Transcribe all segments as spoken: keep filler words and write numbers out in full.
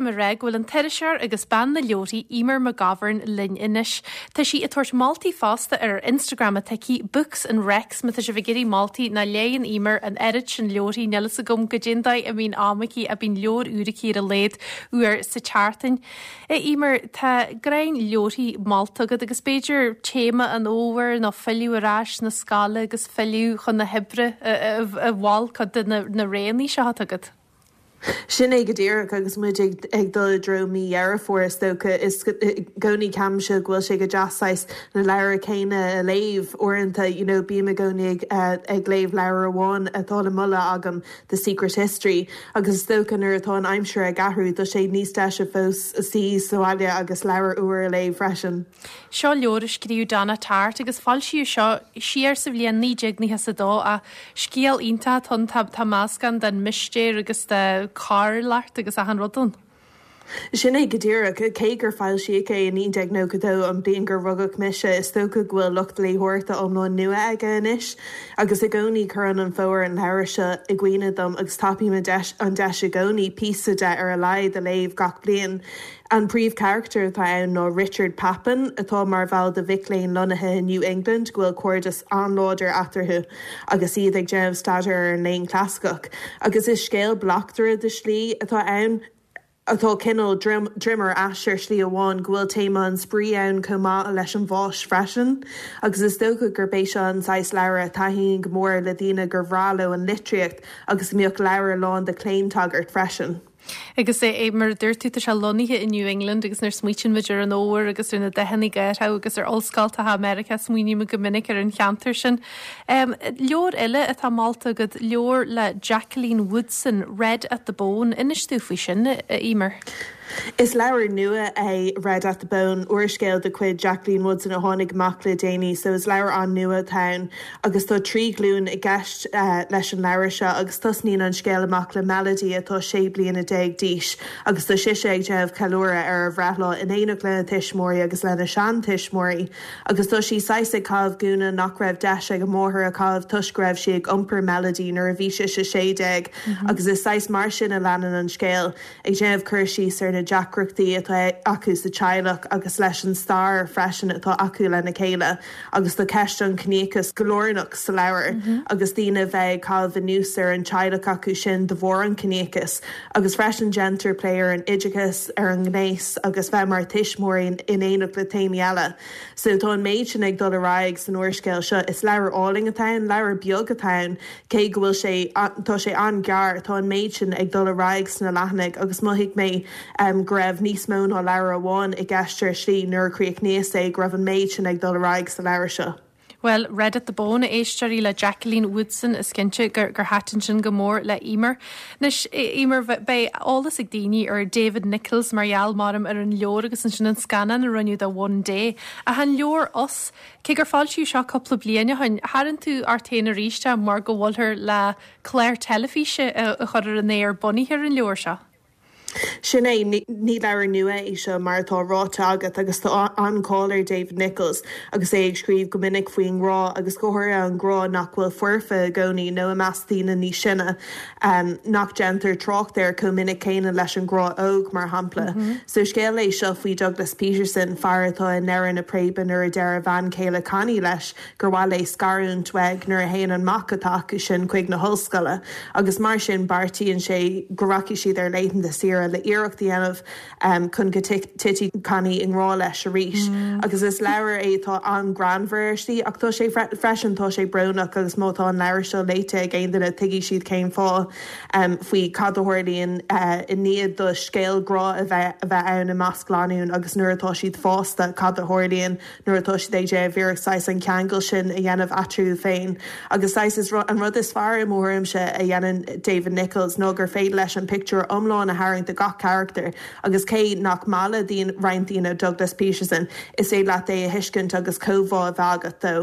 orm a rá go bhfuil an t-iriseoir agus bean na leabharthaí Eimear McGovern linn anois. Tá sí ag tabhairt moltaí fosta ar Instagram atá aici Books and Recs má tá sibh ag iarraidh moltaí ná léann Eimear an oiread sin leabharthaí níl a fhios agam goidé an dóigh a mbíonn am aici a bíonn leabhar úr aici ar a laghad uair sa tseachtain. Eimear tá greim leabharthaí molta agat agus b'fhéidir téama an fhómhair nó filleadh ar ais na scoile agus filleadh chun na hoibre a mhol cuid de na roghanna seo atá agat. Sin é go díreach agus muid ag, ag dul i dtreo mí Dheireadh Fómhair is dócha is i gcónaí ceapaimse go bhfuil sé go deas na leabhair céanna a léamh uaireanta you know, bím i gcónaí ag, uh, ag léamh leabhar amháin atá le moladh agam The Secret History agus is dócha nuair atá an aimsir ag athrú tá sé níos deise fós suí sa bhaile agus leabhar úr a léamh freisin. Seo leabhar a scríobh Donna Tartt agus foilsíodh seo siar sa bhliain naoi déag nócha a dó a scéal iontach tá tá meascán den mistéir agus de choiriúlacht agus achan rud ann. Sin é go díreach cé gur foilsíodh é i naoi déag nócha dó an bhliain gur rugadh mise is dócha go bhfuil lucht léitheoireachta iomlán nua aige anois, agus i gcónaí cuireann an fómhar an leabhar seo i gcuimhne dom agus tapaím an deis an deis i gcónaí píosa de ar a laghad a léamh gach bliain. An príomhcharachtar atá ann ná Richard Papin atá mar bhall de mhic léinn lonnaithe in New England go bhfuil cairdeas an-láidir eatarthu agus iad ag déanamh staidéar ar an léann clasaiceach. Agus is scéal bleachtaire de shlí atá ann atá cineál droim ar ais ar shlí amháin go bhfuil téama an spraoi ann chomh maith leis an bhás freisin, agus is dócha gur bé seo an saghas leabhar a thaitníonn go mór le daoine gur bhreá leo an litríocht agus mbeadh leabhar lán de claontagairt freisin. Agus é mar dúirt tú tá sé lonnaithe in New England agus nuair smaoiníonn muid ar an fhómhar agus ar na dathanna gártha agus ar ollscoileanna Meiriceá smaoiním go minic ar an cheantar sin. Um, leabhar eile atá molta agat leabhar le Jacqueline Woodson, Red at the Bone, inis dúinn faoi sin Eimear. Is leabhar nua é Red at the Bone úrscéal de chuid Jacqueline Woodson a tháinig amach le déanaí, so is leabhar an-nua atá ann agus tá trí ghlúin i gceist uh, leis an leabhar seo agus tosnaíonn an scéal amach le Melody atá sé bliana déag d'aois agus tá sise ag déanamh ceiliúradh ar a breithlá in éineacht lena tuismitheoirí agus lena seantuismitheoirí, agus tá sí saghas ag caitheamh gúna nach raibh deis ag a máthair a chaitheamh toisc go raibh sí ag iompar Melody nuair a bhí sí sé sé déag mm -hmm. agus is saghas mar sin a leanann an scéal ag déanamh cur síos ar na deacrachtaí atá acu sa teaghlach agus leis an stair freisin atá acu lena chéile agus tá ceist an chiníochais go lárnach sa leabhar mm -hmm. agus daoine bheith caitheamh anuas ar an teaghlach acu sin de bharr an chiníochais agus freisin déantar plé ar an oideachas ar an ngnéas agus bheith mar tuismitheoirí in éineacht le téamaí eile. So tá an méid sin ag dul ar aghaidh san úrscéal seo is leabhar álainn atá ann, leabhar beag atá ann, cé go bhfuil sé tá sé an-ghearr tá an méid sin ag dul ar aghaidh sna leathanaigh agus mhothaigh mé um, go raibh níos mó ná leabhar amháin i gceist ar slí nuair a chríochnaíos é go raibh an méid sin ag dul ar aghaidh sa leabhar seo. Well, Red at the Bone éisteoirí le Jacqueline Woodson is cinnte gur gur thaitin sin go mór le Eimear. Anois Eimear beidh eolas ag daoine ar David Nicholls mar gheall mar ar an leabhar agus ansin an scannán a rinneadh de One Day ach an leabhar Us cé gur foilsíodh seo cúpla bliain ó shin tharraing tú ort féin arís mar go bhfuiltear le clár teilifíse a chur ar an aer bunaithe ar an leabhar seo. Sin é ní leabhar nua é seo mar atá ráite agat agus tá an-cháil ar David Nicholls agus é ag scríobh go minic faoin ngrá agus go háirithe an grá nach bhfuil foirfe i gcónaí nó i measc daoine níos sine um, nach déantar trácht air chomh minic céanna leis an grá óg mar shampla. Mm -hmm. So scéal é seo faoi Douglas Peterson fear atá i ndeireadh na préibe nuair a deir a bhean chéile Connie leis gur mhaith léi scarúint uaidh nuair a théann an mac atá acu sin chuig na hollscoile, agus mar sin beartaíonn sé go rachaidh siad ar laethanta saoire le iarracht a dhéanamh um, chun go dtitfidh Connie i ngrá leis arís. Mm. agus is leabhar é atá an-ghreannmhar ar slí ach tá sé freisin tá sé brónach agus má tá an leabhar seo léite ag aon duine tuigfidh siad cén fáth um, faoi cad a tharlaíonn uh, i ndiaidh do scéal grá a bheith a bheith ann i measc lánúin agus nuair atá siad fásta cad a tharlaíonn nuair atá siad ag iarraidh an ceangal sin a dhéanamh eatarthu féin. agus is an rud is fearr i mo thuairimse a dhéanann David Nicholls ná gur féidir leis an pictiúr iomlán a tharraingt de gach charachtar agus cé nach maith le roinnt daoine Douglas Peterson is féidir leat é a thuiscint agus comhbhá a bheith agat dó.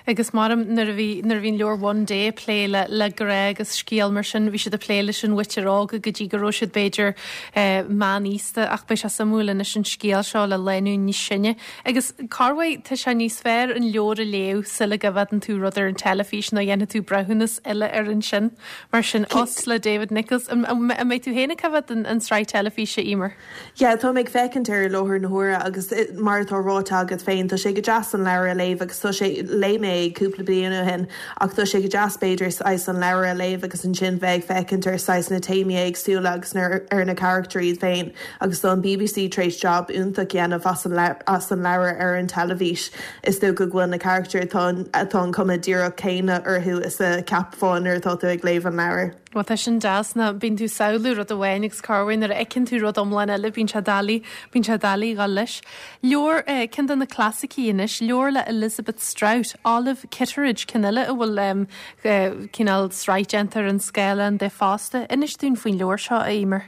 Agus maram nuair a bhí nuair a bhíonn leabhar One Day ag plé le le grá agus scéal mar sin bhí siad ag plé leis an mhuintir óg go dtí go raibh siad b'fhéidir eh, meánaosta ach beidh sé suimiúil anois an scéal seo le lánúin níos sine. Agus corruair tá sé níos fearr an leabhar a léamh sula bhfeiceann tú rud ar an teilifís nó dhéanfaidh tú breithiúnas eile ar an sin mar sin Us le David Nicholls an mbeidh tú féin ag coimhéad an an tsraith teilifíse Emer. Ja tá ag féachaint ar láthair na huaire agus eh, mar atá ráite agat féin tá sé go deas an leabhar a léamh agus tá sé léigh mé cúpla bliain ó shin ach tá sé go deas b'fhéidir saghas an leabhar a léamh agus ansin bheith féachaint ar saghas na téamaí éagsúla agus ar na carachtair iad féin agus tá an BBC tar éis job iontach déanamh as an as an leabhar ar an teilifís is dócha go bhfuil na carachtair atá atá an cuma díreach céanna orthu is a cheapfá nuair atá tú ag léamh an leabhar. Well tá sin deas ná bíonn tú ag samhlú rud amháin agus corruair nuair a fheiceann tú rud iomlán eile bíonn sé doiligh bíonn sé doiligh dul leis. Leabhar eh, ceann de na clasaicí anois, leabhar le Elizabeth Strout, Olive Kitteridge ceann eile a bhfuil um, eh, cineál sraith déanta ar an scáileán de fosta. Inis dúinn faoin leabhar seo a Emer.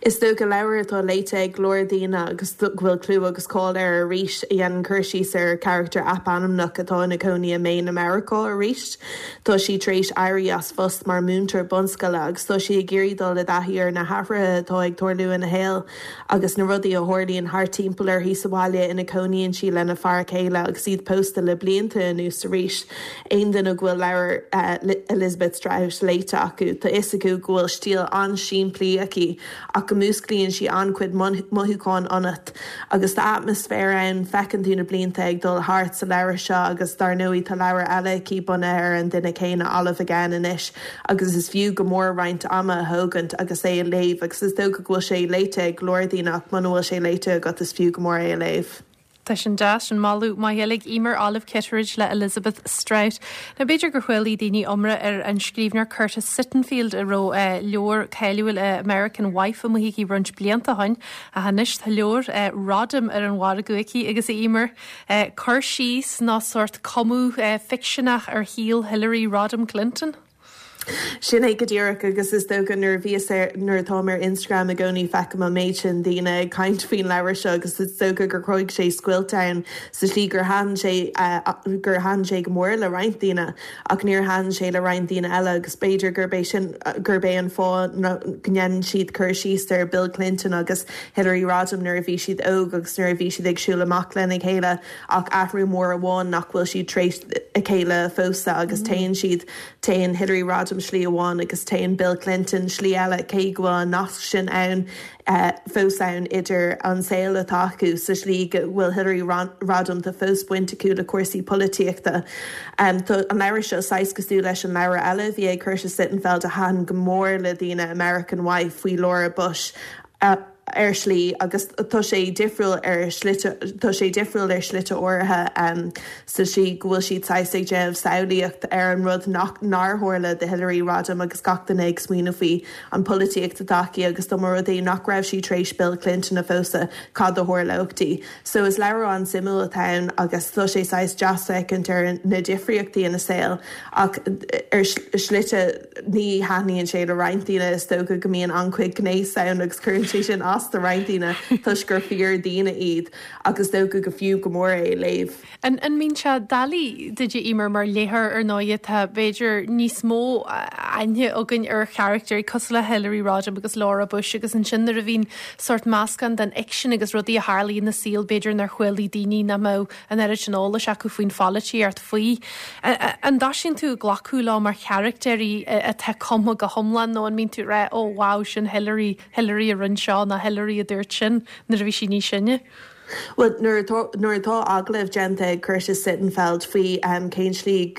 Is dócha leabhar atá léite ag go leor daoine agus go bhfuil clú agus cáil air arís a dhéanann cur síos ar charachtar eapainmneach atá ina cónaí i Maine America arís. Tá sí tar éis éirí as post mar mhúinteoir bunscoile agus tá sí ag iarraidh dul i dtaithí ar na hathruithe atá ag tarlú ina shaol agus na rudaí a tharlaíonn thart timpeall uirthi sa bhaile ina cónaíonn sí lena fear céile agus iad pósta le blianta anuas arís. Aon duine go bhfuil leabhar uh, Elizabeth Strout léite acu Tá fhios acu go bhfuil stíl an-simplí aici ach go músclaíonn sí an-chuid mothúchán ionat agus tá atmaisféar ann feiceann tú na blianta ag dul thart sa leabhar seo agus dar ndóigh tá leabhar eile aici bunaithe ar an duine céanna Olive Again anois agus is fiú go mór roinnt ama a thógaint agus é a léamh agus is dócha go bhfuil sé léite ag go leor daoine ach muna bhfuil sé léite agat is fiú go mór é a léamh. Tá sin deas an moladh maith ag Emer Olive Kitteridge le Elizabeth Strout. Now b'fhéidir gur chuala daoine iomrá ar an scríbhneoir Curtis Sittenfeld a raibh uh, leabhar cáiliúil uh, American Wife amuigh aici roinnt blianta ó shin ach anois tá leabhar uh, Rodham ar an mhargadh aici agus Emer uh, cur síos ná sórt cumadh uh, ficseanach ar shaol Hillary Rodham Clinton. Sin é go díreach agus is dócha nuair bhí nuair atá ar Instagram i gcónaí feicim an méid sin daoine ag caint faoin leabhar seo agus is dócha gur chruthaigh sé scoilt ann sa slí gur thaitin sé gur thaitin sé go mór le roinnt daoine ach níor thaitin sé le roinnt daoine eile agus b'fhéidir gurb é sin gurb é an fáth go ndéanann siad cur síos ar Bill Clinton agus Hillary Rodham nuair a bhí siad óg agus nuair a bhí siad ag siúl amach lena chéile ach athrú mór amháin nach bhfuil siad tar éis a chéile a phósadh agus mm. téann siad téann Hillary Rodham slí amháin agus téann Bill Clinton slí eile cé go bhfuil an nasc sin ann uh, fós ann idir an saol atá acu sa slí go bhfuil Hillary Rodham tá fós baint acu le cúrsaí polaitíochta. Um, an leabhar seo saghas cosúil leis an leabhar eile bhí ag Curtis Sittenfeld a thaitin go mór le daoine American Wife faoi Laura Bush. Uh, ar slí agus tá sé difriúil ar slite tá sé difriúil ar slite áirithe um, sa slí go bhfuil siad saghas ag déanamh samhlaíocht ar an rud nach nár tharla do Hillary Rodham agus gach duine ag smaoineamh faoi an polaitíocht atá aici agus dá mba rud é nach raibh sí tar éis Bill Clinton a phósadh cad a tharlódh di. So is leabhar an-suimiúil atá ann agus tá sé saghas deas féachaint ar na difríochtaí ina saol ach ar slite ní thaitníonn sé le roinnt daoine is dócha go mbíonn an-chuid gnéas ann agus cuireann sé sin as do roinnt daoine toisc gur fíordhaoine iad agus dócha go fiú go mór é léamh. An an mbíonn sé doiligh duit Emer mar léitheoir ar ndóigh tá b'fhéidir níos mó aithne againn ar charachtair cosúil le Hillary Rodham agus Laura Bush agus ansin nuair a bhíonn sórt meascán den fhicsean agus rudaí a tharlaíonn ina saol b'fhéidir nár chuala daoine nach mbeadh an oiread sin eolais acu faoin pholaitíocht faoi. An dtosaíonn tú glacadh leo mar charachtair atá cumtha go hiomlán nó an mbíonn tú rá ó wow sin Hillary Hillary a rinne seo ná Hillary a dúirt sin nuair a bhí sí níos sine. Well nuair atá agallamh déanta ag Curtis Sittenfeld faoi um, cén slí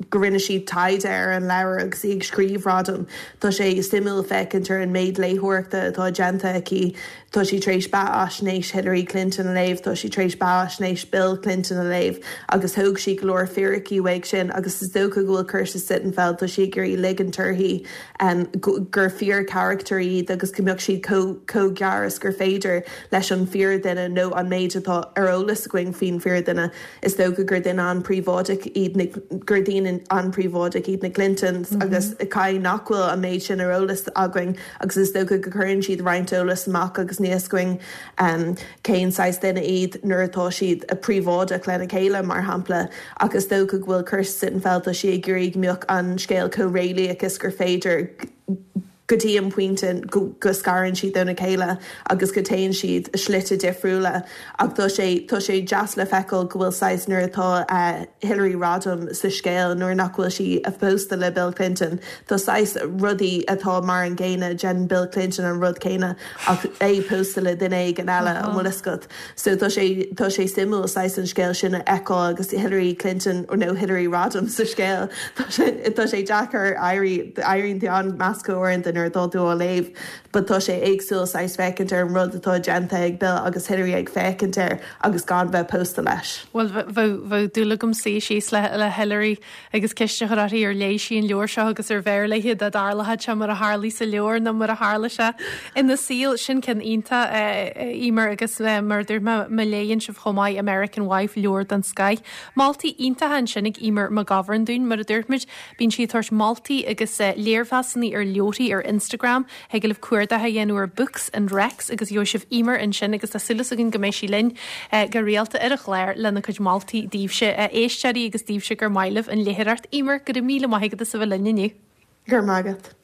go rinne sí taighde ar an leabhar agus í ag scríobh Rodham Tá sé suimiúil féachaint ar an méid léitheoireachta atá déanta aici tá sí tar éis beathaisnéis Hillary Clinton a léamh, tá sí tar éis beathaisnéis Bill Clinton a léamh agus thóg sí go leor fíricí uaidh sin agus is dócha go bhfuil Curtis Sittenfeld tá sí ag iarraidh ligean uirthi um, gur fíorcharachtair iad agus go mbeadh siad chomh gar is gur féidir leis an fíordhuine nó an méid atá ar eolas againn faoin fíordhuine is dócha gur duine an-phríobháideach iad na gur daoine an-phríobháideach iad na Clintons mm -hmm. agus cé nach bhfuil an méid sin ar eolas againn agus is dócha go gcuireann siad roinnt eolas amach agus níl a fhios againn um, cén saghas duine iad nuair atá siad a príobháideach lena chéile mar shampla agus dócha go bhfuil Kirsten Sittenfeld sí ag iarraidh go mbeadh an scéal chomh réalaíoch is gur féidir go dtí an pointe go, go scarann siad óna chéile agus go dtéann siad slite difriúla ach tá sé tá sé deas le feiceáil go bhfuil saghas nuair atá uh, Hillary Rodham sa scéal nuair nach bhfuil sí a pósta le Bill Clinton Tá saghas rudaí atá mar an gcéanna déanann Bill Clinton an rud céanna ach é pósta le duine éigin eile an bhfuil fhios agat. So tá sé tá sé suimiúil saghas an scéal sin a fheiceáil agus Hillary Clinton or no Hillary Rodham sa scéal Tá sé tá sé deacair éirí éiríonn tú an-mheasctha uaireanta nuair atá tú á léamh, but tá sé éagsúil saghas féachaint ar an rud atá déanta ag Bill agus Hillary ag féachaint air agus gan bheith pósta leis. Well bheadh dúil agam suí síos le le Hillary agus ceist a chur uirthi ar léigh sí an leabhar seo agus ar bhfearr léi dá dtarlódh sé mar a tharla sa leabhar nó mar a tharla sé ina saol sin ceann iontach Eimear agus mar dúirt má léann sibh chomh maith American Wife leabhar den scoth. Moltaí iontacha ansin ag Eimear McGovern dúinn mar a dúirt muid bíonn sí ag tabhairt moltaí agus léirmheasanna ar leabharthaí ar Instagram thig libh cuardach a dhéanamh ar Books and Recs agus gheobhaidh sibh Eimear ansin agus tá súil againn go mbeidh sí linn go rialta ar an chlár lena cuid moltaí daoibhse éisteoirí agus daoibhse gur maith libh an léitheoireacht Eimear go raibh míle maith agat as a bheith linn inniu. Gur magat.